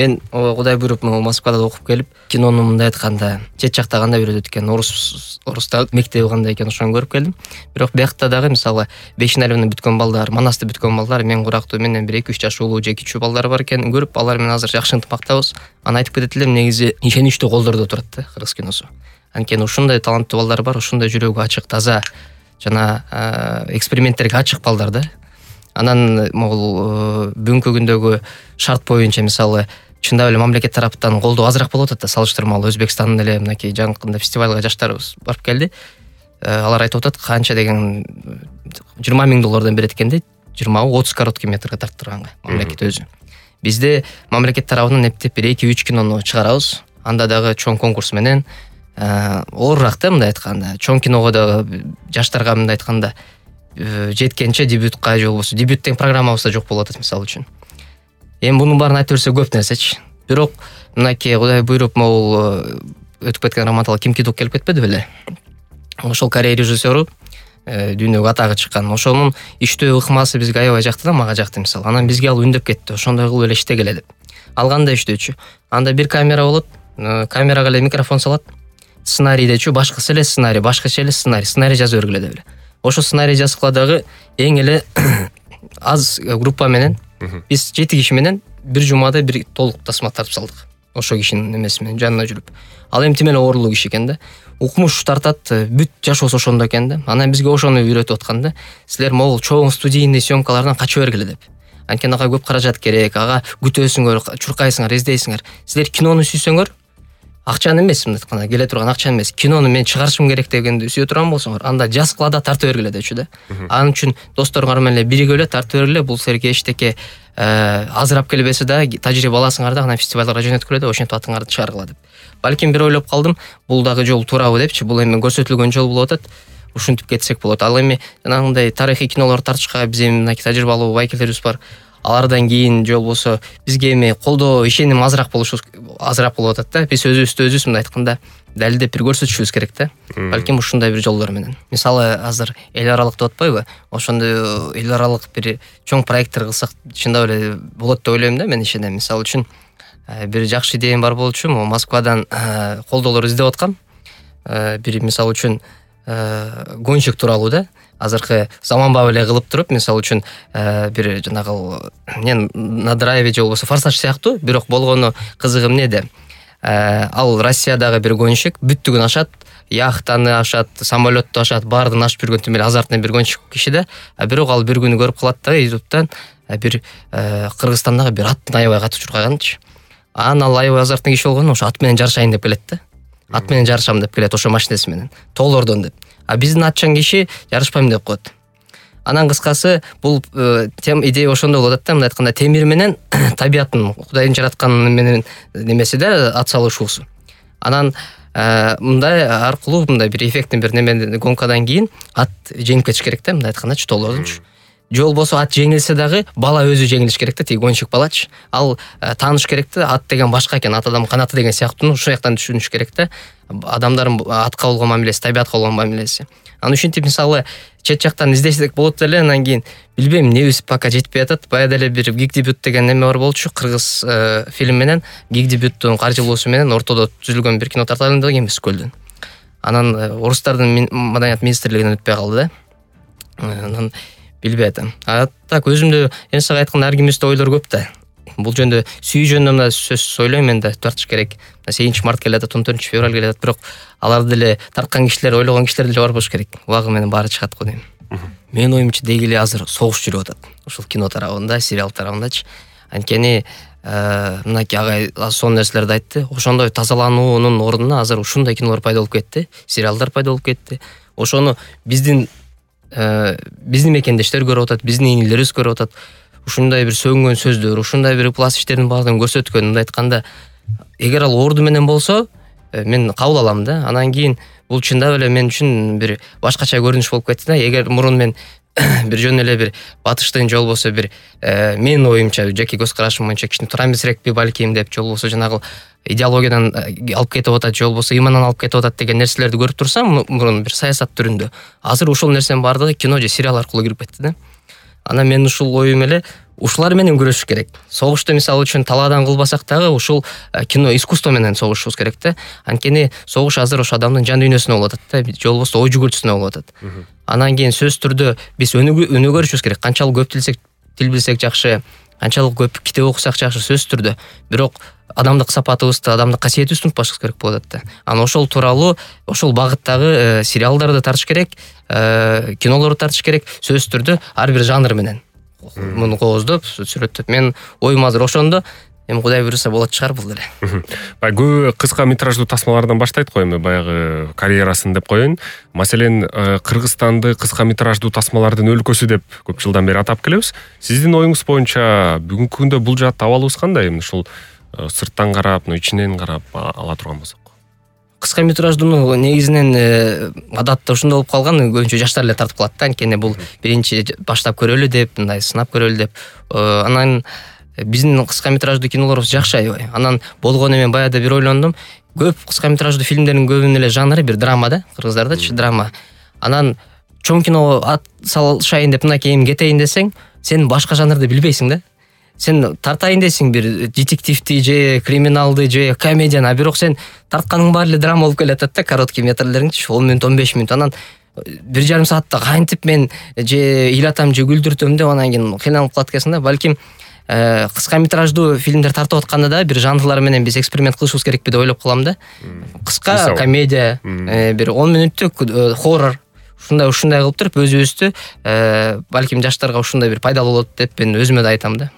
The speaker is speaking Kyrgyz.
мен Кудай буйруп Москвада окуп келип, кинону мындай айтканда чет жакта кандай үйрөтөт экен, орустар мектеби кандай экен ошону көрүп келдим. Бирок биякта дагы мисалы Бешиналевни бүткөн балдар, Манасты бүткөн балдар мен курактуу менен бир 2-3 жаш улуу же кичүү балдар бар экенин көрүп, алар менен азыр жакшы ынтымактабыз. Аны айтып кетет элем, негизи ишеничтүү колдордо турат да кыргыз киносу. Анткени ушундай таланттуу балдар бар, ушундай жүрөгү ачык, таза жана эксперименттерге ачык балдар да. Анан могул бүгүнкү күндөгү шарт боюнча мисалы чындап эле мамлекет тараптан колдоо азыраак болуп атат да, салыштырмалуу Өзбекстандын эле мынакей жакында фестивалга жаштарыбыз барып келди. Алар айтып атат, канча деген $20,000 берет экен да, 20-30 короткий метрге тарттырганга мамлекет өзү. Бизде мамлекет тарабынан эптеп бир 2-3 кинону чыгарабыз. Анда дагы чоң конкурс менен оорураак да, мындай айтканда. Чоң киного дагы жаштарга мындай айтканда жеткенче дебютка же болбосо дебют деген программабызда жок болуп атат мисалы үчүн. Эми мунун баарын айтып берсе көп нерсечи. Бирок мынакей Кудай буйруп могул өтүп кеткен Раматалы Ким Ки Дук келип кетпеди беле? Ошол Корея режиссеру дүйнөгө атагы чыккан. Ошонун иштөө ыкмасы бизге аябай жакты да, мага жакты мисалы. Анан бизге ал үндөп кетти. Ошондой кылып эле иштегиле деп. Ал кандай иштөөчү? Анда бир камера болот, камерага эле микрофон салат. Сценарийдечү башкасы эле сценарий, башкача эле сценарий жазып бергиле деп эле. Ошо сценарий жазгыла дагы эң эле аз группа менен биз 7 киши менен бир жумада бир толук тасма тартып салдык. Ошо кишинин эмеси менен жанына жүрүп. Ал эми тим эле оорулуу киши экен да. Укмуш тартат, бүт жашоосу ошондо экен да. Анан бизге ошону үйрөтүп аткан да. Силер могул чоң студийный съемкалардан качып бергиле деп. Анткени ага көп каражат керек, ага күтөсүңөр, чуркайсыңар, издейсиңер. Силер кинону сүйсөңөр, акчаны эмес, мындай айтканда келе турган акчаны эмес, кинону мен чыгарышым керек дегенди сүйө турган болсоңор, анда жазгыла да тартып бергиле депчү да. Анын үчүн досторуңар менен эле биригип эле тартып бергиле, бул силерге эчтеке азырап келбесе да тажрыйба аласыңар да, анан фестивалга жөнөткүлө да, ошентип атыңарды чыгаргыла деп. Балким бир ойлоп калдым, бул дагы жол туурабы депчи, бул эми көрсөтүлгөн жол болуп атат. Ушинтип кетсек болот. Ал эми жанагындай тарыхый кинолорду тартышка биз эми мынакей тажрыйбалуу байкелерибиз бар. Алардан кийин же болбосо бизге эми колдоо, ишеним азыраак болуп атат да. Биз өзүбүз мындай айтканда далилдеп бир көрсөтүшүбүз керек да. Балким ушундай бир жолдор менен. Мисалы азыр эл аралык деп атпайбы? Ошондой эл аралык бир чоң проекттер кылсак чындап эле болот деп ойлойм да, мен ишенем. Мисалы үчүн бир жакшы идеям бар болчу, Москвадан колдоолор издеп аткам. Бир мисалы үчүн гонщик тууралуу да. Азыркы заманбап эле кылып туруп, мисалы үчүн бир жанагы на драйве же болбосо форсаж сыяктуу, бирок болгону кызыгы эмнеде? Ал Россиядагы бир гонщик бүттүгүн ашат, яхтаны ашат, самолетту ашат, баардыгын ашып жүргөн тим эле азартный бир гонщик киши да. Бирок ал бир күнү көрүп калат да YouTube'дан бир Кыргызстандагы бир аттын аябай катуу чуркаганчы. Анан ал аябай азартный киши болгону ошо ат менен жарышайын деп келет да. Ат менен жарышам деп келет, ошо машинеси менен. Тоолордон деп. Биздин атчан киши жарышпайм деп коет. Анан кыскасы бул идея ошондой болуп атат да, мындай айтканда темир менен табияттын, Кудайдын жаратканы менен немеси да, ат салышуусу. Анан мындай аркылуу мындай бир эффекттин бир неме гонкадан кийин ат жеңип кетиш керек да, мындай айткандачы тоолордунчу. Же болбосо ат жеңилсе дагы бала өзү жеңилиш керек да, тиги гонщик балачы. Ал тааныш керек да, ат деген башка экен, ат адам канаты деген сыяктуу, ушул жактан түшүнүш керек да. Адамдардын атка болгон мамилеси, табиятка болгон мамилеси. Анан ушинтип мисалы чет жактан издесек болот эле, анан кийин билбейм, небиз пока жетпей атат. Баягы деле бир гиг дебют деген неме бар болчу, кыргыз фильм менен гиг дебюттун каржылоосу менен ортодо түзүлгөн бир кино тарталым деген эмес көлдөн. Анан орустардын маданият министрлигинен өтпөй калды да. Анан билбей атам. Так өзүмдө эми сага айтканда ар кимибизде ойлор көп да. Бул жөндө сүйүү жөнүндө мына сөз ойлойм мен да, тартыш керек. 8 март келе атат, 14 февраль келе атат, бирок аларды деле тарткан кишилер, ойлогон кишилер деле бар болуш керек. Убагы менен баары чыгат го дейм. Менин оюмча деги эле азыр согуш жүрүп атат. Ушул кино тарабында, сериал тарабындачы. Анткени мынакей агай сонун нерселерди айтты. Ошондой тазалануунун ордуна азыр ушундай кинолор пайда болуп кетти, сериалдар пайда болуп кетти. Ошону биздин мекендештер көрүп атат, биздин инилерибиз көрүп атат. Ушундай бир сөгүнгөн сөздөр, ушундай бир пласт иштердин баардыгын көрсөткөн, мындай айтканда, эгер ал орду менен болсо, мен кабыл алам да. Анан кийин бул чындап эле мен үчүн бир башкача көрүнүш болуп кетти да. Эгер мурун мен бир жөн эле бир батыштын же болбосо бир менин оюмча, жеке көз карашым боюнча кичине туура эмесирекпи балким деп, же болбосо жанагы идеологиядан алып кетип атат, же болбосо имандан алып кетип атат деген нерселерди көрүп турсам, мурун бир саясат түрүндө, азыр ушул нерсенин баардыгы кино же сериал аркылуу кирип кетти да. Анан мен ушул оюм эле ушулар менен күрөшүш керек. Согушту мисалы үчүн талаадан кылбасак дагы ушул кино искусство менен согушубуз керек да. Анткени согуш азыр ошо адамдын жан дүйнөсүнө болуп атат да, же болбосо ой жүгүртүүсүнө болуп атат. Анан кийин сөзсүз түрдө биз өнүгөрүшүбүз керек. Канчалык көп тил билсек жакшы, канчалык көп китеп окусак жакшы сөзсүз түрдө. Бирок адамдык сапатыбызды, адамдык касиетибизди унутпашыбыз керек болуп атат да. Анан ошол тууралуу, ошол багыттагы сериалдарды тартыш керек, кинолорду тартыш керек, сөзсүз түрдө ар бир жанр менен. Муну кооздоп, сүрөттөп. Мен оюм азыр ошондо. Эми Кудай буйруса болот чыгар бул деле. Баягы көбү кыска метраждуу тасмалардан баштайт го эми баягы карьерасын деп коеюн. Маселен, Кыргызстанды кыска метраждуу тасмалардын өлкөсү деп көп жылдан бери атап келебиз. Сиздин оюңуз боюнча бүгүнкү күндө бул жаатта абалыбыз кандай? Ушул сырттан карап, ичинен карап ала турган болсок. Кыска метраждууну негизинен адатта ушундай болуп калган, көбүнчө жаштар эле тартып калат да. Анткени бул биринчи баштап көрөлү деп, мындай сынап көрөлү деп. Анан биздин кыска метраждуу кинолорубуз жакшы аябай. Анан болгону мен баягы бир ойлондум. Көп кыска метраждуу фильмдердин көбүнүн эле жанры бир драма да, кыргыздардачы драма. Анан чоң киного ат салышайын деп мынакей кетейин десең, сен башка жанрды билбейсиң да. Сен тартайын десең бир детективди же криминалды же комедияны, а бирок сен тартканың баары эле драма болуп келатат да, короткий метрлериңчи 10 мүнөт, 15 мүнөт. Анан 1,5 саатта кантип мен же ыйлатам же күлдүртөм деп анан кийин кыйналып калат экенсиң да. Балким кыска метраждуу фильмдер тартып атканда да бир жанрлар менен биз эксперимент кылышыбыз керекпи деп ойлоп калам да. Кыска комедия, бир 10 мүнөттүк хоррор, ушундай кылып туруп өзүбүздү балким жаштарга ушундай бир пайдалуу болот деп мен өзүмө да айтам да.